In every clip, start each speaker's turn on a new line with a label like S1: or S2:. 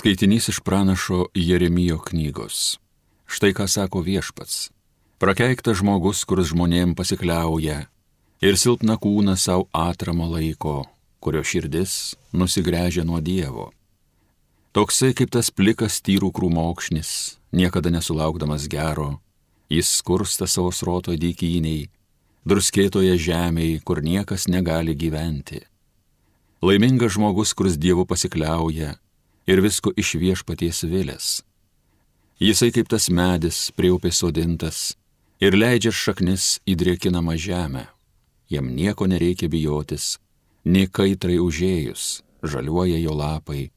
S1: Skaitinys iš pranašo Jeremijo knygos. Štai ką sako Viešpats. Prakeiktas žmogus, kuris žmonėm pasikliauja ir silpną kūną savo atramo laiko, kurio širdis nusigręžia nuo Dievo. Toksai kaip tas plikas tyrų krūmokšnis, niekada nesulaukdamas gero, jis skursta savo sroto dykyniai, druskėtoje žemėje, kur niekas negali gyventi. Laimingas žmogus, kuris Dievu pasikliauja ir visko iš Viešpaties vilės. Jisai kaip tas medis prie upės sodintas ir leidžia šaknis į drėkinamą žemę. Jam nieko nereikia bijotis, nei kaitrai užėjus, žaliuoja jo lapai.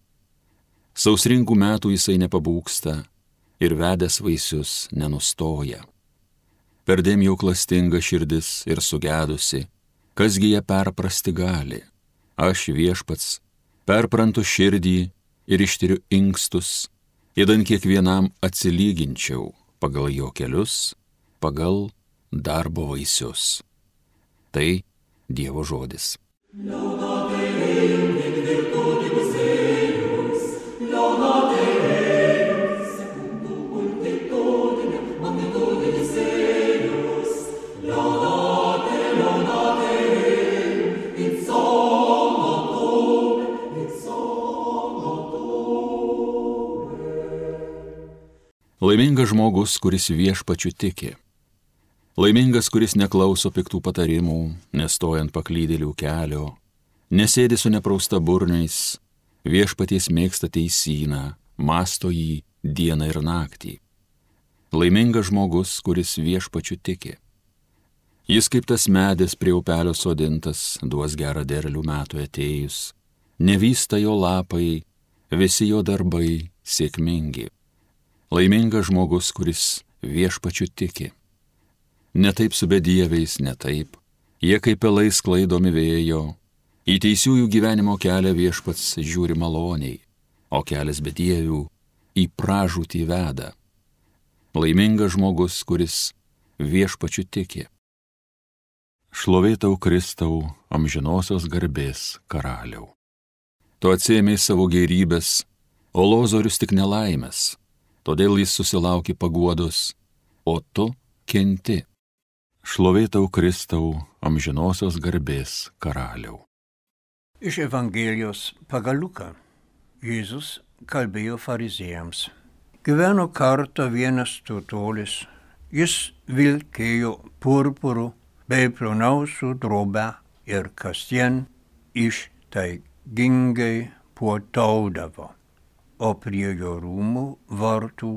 S1: Sausringų metų jisai nepabūksta ir vedęs vaisius nenustoja. Perdėm jau klastinga širdis ir sugedusi, kasgi ją perprasti gali. Aš Viešpats perprantu širdį ir ištiriu inkstus, idant kiekvienam atsilyginčiau pagal jo kelius, pagal darbo vaisius. Tai Dievo žodis. Laimingas žmogus, kuris Viešpačiu tiki. Laimingas, kuris neklauso piktų patarimų, nestojant paklydėlių kelio, nesėdi su neprausta burniais, Viešpaties mėgsta teisyną, mąsto jį dieną ir naktį. Laimingas žmogus, kuris Viešpačiu tiki. Jis kaip tas medis prie upelio sodintas, duos gerą derlių metų atėjus, nevysta jo lapai, visi jo darbai sėkmingi. Laimingas žmogus, kuris Viešpačiu tiki. Ne taip su bedieviais, ne taip. Jie kaip pelai sklaidomi vėjo. Į teisiųjų gyvenimo kelią Viešpats žiūri maloniai, o kelias bedievių į pražūtį veda. Laimingas žmogus, kuris Viešpačiu tiki. Šlovė tau, Kristau, amžinosios garbės karaliau. Tu atsiėmei savo gėrybės, o Lozorius tik nelaimės. Todėl jis susilaukė paguodos, o tu kenti. Šlovė tau, Kristau, amžinosios garbės karaliau.
S2: Iš Evangelijos pagal Luką. Jėzus kalbėjo fariziejams. Gyveno kartą vienas turtuolis. Jis vilkėjo purpuru bei ploniausių drobę ir kasdien ištaigingai puotaudavo. O prie jo rūmų vartų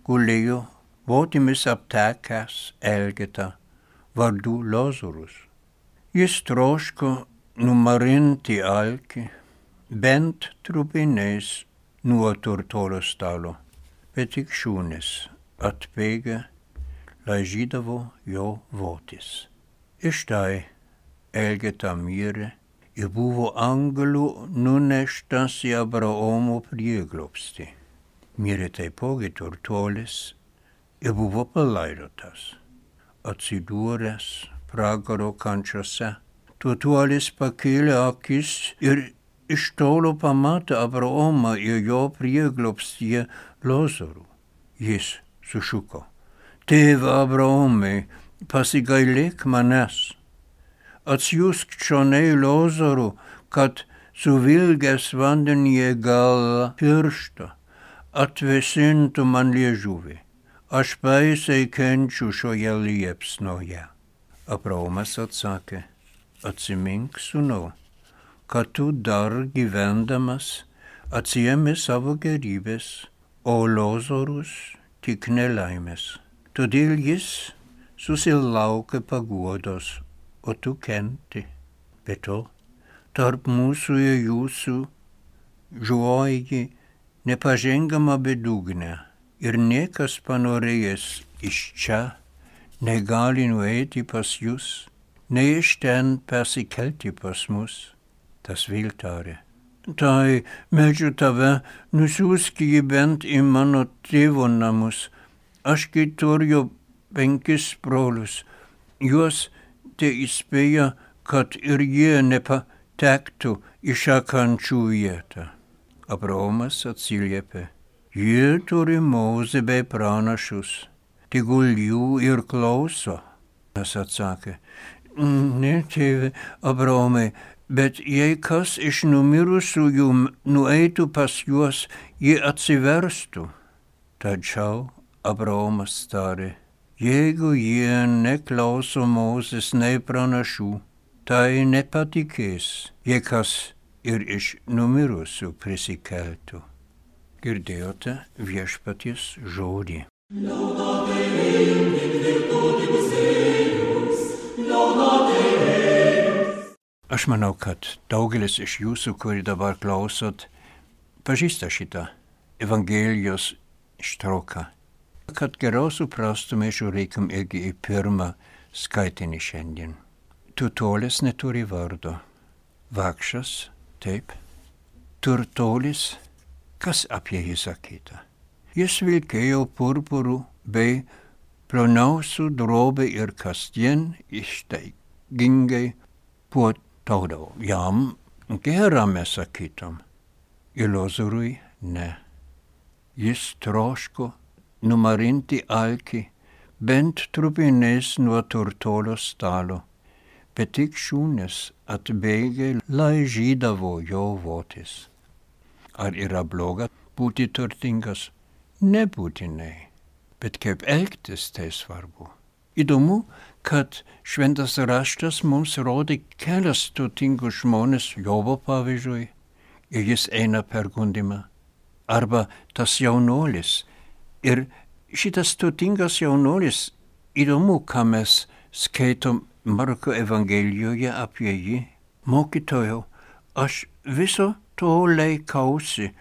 S2: gulėjo votimis aptekęs elgeta vardu Lozorius. Jis troško numarinti alkį bent trupiniais nuo turtuolio stalo, bet tik šunys atbėgę laižydavo jo votis. Ištai elgeta mirė ir buvo angelų nuneštas į Abraomo prieglobstį. Mirė taipogi turtuolis ir buvo palaidotas. Atsidūręs pragaro kančiose, turtuolis pakėlė akis ir iš tolo pamatė Abraomą ir jo prieglobstyje Lozorių. Jis sušuko: Tėve Abraomai, pasigailėk manęs. Atsiųsk čionai Lozorių, kad suvilgęs vandenyje galą pirštą atvėsintų man liežuvį. Aš baisiai kenčiu šioje liepsnoje. Abraomas atsakė: Atsimink, sūnau, kad tu dar gyvendamas atsiėmė savo gėrybės, o Lozorius tik nelaimės. Todėl jis susilaukė paguodos, o tu kenti. Be to, tarp mūsų ir jūsų žuoji nepažengama bedugnė ir niekas panorėjęs iš čia negali nueiti pas jūs, nei iš ten persikelti pas mus. Tas vėl tarė: Tai meldžiu tave, nusiųsk jį bent į mano tėvo namus. Ašgi turiu 5 brolius, juos te įspėja, kad ir jie nepatektų į šią kančių vietą. Abraomas atsiliepė, jie turi Mozę bei pranašus, tegul jų ir klauso. Jis atsakė, ne, tėve Abraomai, bet jei kas iš numirusiųjų nueitų pas juos, jie atsiverstų. Tačiau Abraomas tarė, jeigu jie neklauso Mozės nei pranašų, tai nepatikės, jei kas ir iš numirusių prisikeltų. Girdėjote viešpaties žodį. Aš manau, kad daugelis iš jūsų, kuri dabar klausot, pažįsta šitą Evangelijos ištrauką. Kad geriau suprastume, žiūrėkim irgi į pirmą skaitinį šiandien. Turtuolis neturi vardo. Vargšas, taip. Turtuolis, kas apie jį sakyta? Jis vilkėjo purpurų bei ploniausių drobę ir kasdien ištaigingai puotaudavo. Jam gera mes sakytum. Ir Lozorui ne. Jis troško numarinti alkį bent trupinės nuo turtuolio stalo, bet tik šunys atbėgę laižydavo jo votis. Ar yra bloga būti turtingas? Nebūtinai, bet kaip elgtis tai svarbu. Įdomu, kad šventas raštas mums rodė kelias turtingus žmonės, Jobo pavyzdžiui, ir jis eina per gundymą. Arba tas jaunuolis. Ir šitas turtingas jaunuolis, įdomu, ką mes skaitom Marko Evangelijoje apie jį. Mokytojau, aš viso to laikausi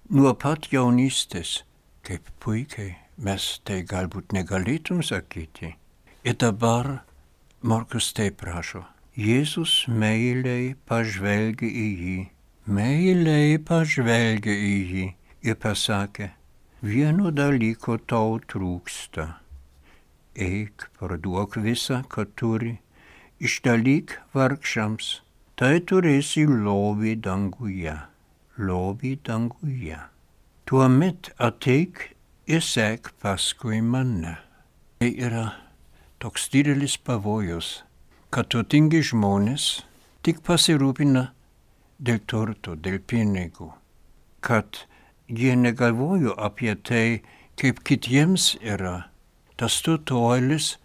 S2: nuo pat jaunystės. Kaip puikiai, mes tai galbūt negalėtum sakyti. Ir dabar Markus taip prašo. Jėzus meiliai pažvelgė į jį. Meiliai pažvelgė į jį ir pasakė, vieno dalyko tau trūksta. Eik, parduok visą, ką turi, išdalyk vargšams, tai turėsi lobį danguje. Lobį danguje. Tuomet ateik ir sek paskui mane. Tai yra toks didelis pavojus, kad turtingi žmonės tik pasirūpina dėl turto, dėl pinigų, kad jie negalvojo apie tai, kaip kitiems yra. Tas turtuolis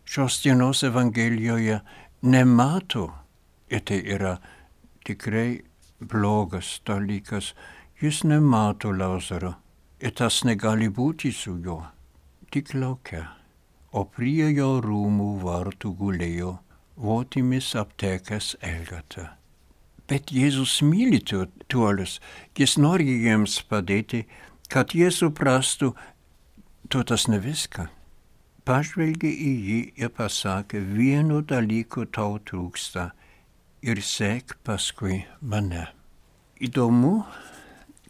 S2: šios dienos Evangelijoje nemato, ir tai yra tikrai blogas dalykas. Jis nemato Lazaro, ir tas negali būti su juo, tik lauke. O prie jo rūmų vartų gulėjo votimis aptekęs Elgeta. Bet Jėzus myli turtuolius, jis nori jiems padėti, kad jie suprastų, turtas ne viską. Pažvelgė į jį ir pasakė, vieno dalyko tau trūksta ir sek paskui mane. Įdomu,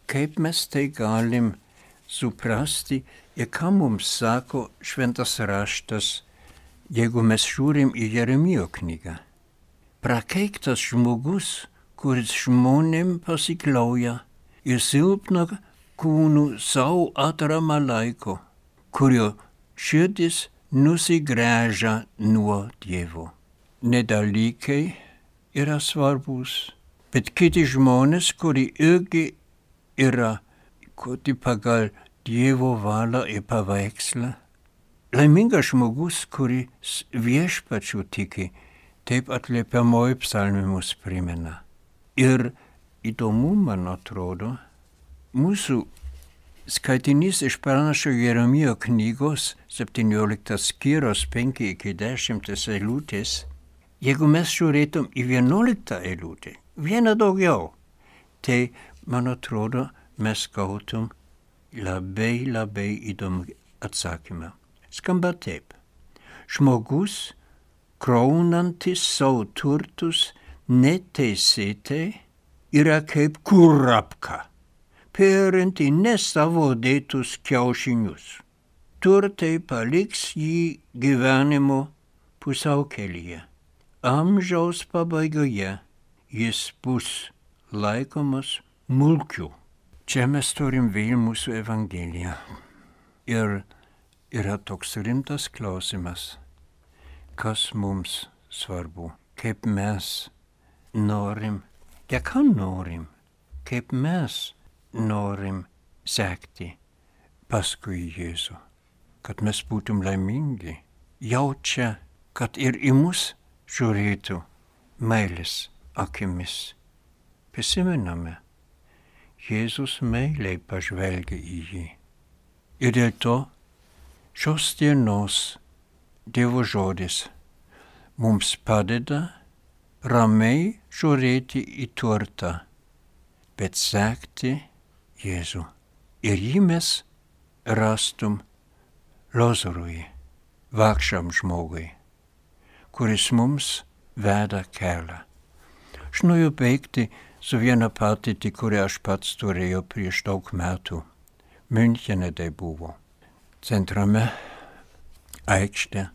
S2: kaip mes tai galim suprasti ir ką mums sako šventas raštas, jeigu mes žiūrim į Jeremijo knygą. Prakeiktas žmogus, kuris žmonėm pasikliauja ir silpna kūnų savo atramą laiko, kurio širdis nusigręžia nuo Dievo. Ne dalykai yra svarbus, bet kiti žmonės, kurie irgi yra kurti pagal Dievo valią ir paveikslą. Laimingas žmogus, kuris viešpačiu tiki, taip atliepiamoji psalmė mus primena. Ir įdomu, man atrodo, mūsų skaitinys iš pranašo Jeremijo knygos 17 skyrius 5-10 eilutės, jeigu mes žiūrėtum į 11 eilutę, vieną daugiau, tai, man atrodo, mes gautum labai įdomų atsakymą. Skamba taip. Žmogus, kraunantis savo turtus neteisėtai, yra kaip kurapka, perinti ne savo dėtus kiaušinius. Turtai paliks jį gyvenimo pusiaukelyje. Amžiaus pabaigoje jis bus laikomas mulkiu. Čia mes turim vėl mūsų Evangeliją. Ir yra toks rimtas klausimas, kas mums svarbu, kaip mes norim, ką norim, kaip mes norim sekti paskui Jėzų, kad mes būtum laimingi, jaučia, kad ir į mus žiūrėtų meilės akimis. Prisimename, Jėzus meiliai pažvelgia į jį. Ir dėl to šios dienos Dievo žodis mums padeda ramiai žiūrėti į turtą, bet sekti Jėzų. Ir jį mes rastum Lazarui, vargšam žmogui, kuris mums veda kelią. Aš noriu baigti su viena patirtį, kurią aš pats turėjau prieš daug metų. Münchene tai buvo. Centrame aikšte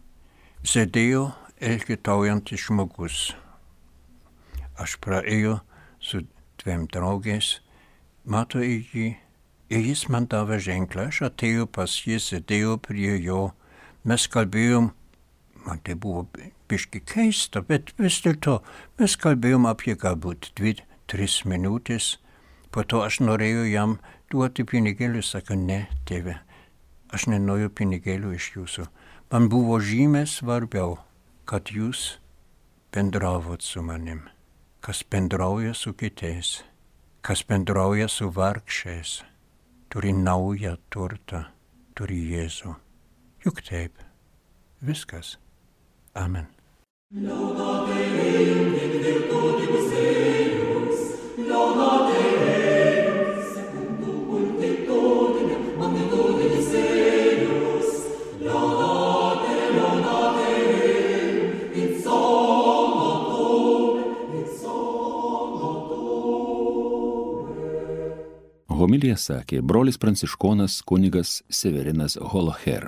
S2: sėdėjo elgetaujantis žmogus. Aš praėjau su 2 draugais, matau į jį, ir jis man davė ženklą, aš atėjau pas jį, sėdėjau prie jo, mes kalbėjom, man tai buvo biški keista, bet vis dėlto mes kalbėjom apie galbūt 2-3 minutės, po to aš norėjau jam duoti pinigėlių, sako, ne, tėve, aš nenoriu pinigėlių iš jūsų. Man buvo žymiai svarbiau, kad jūs bendravot su manim, kas bendrauja su kitais, kas bendrauja su vargšiais, turi naują turtą, turi Jėzų. Juk taip, viskas. Amen.
S1: Homiliją sakė brolis pranciškonas kunigas Severinas Holoher.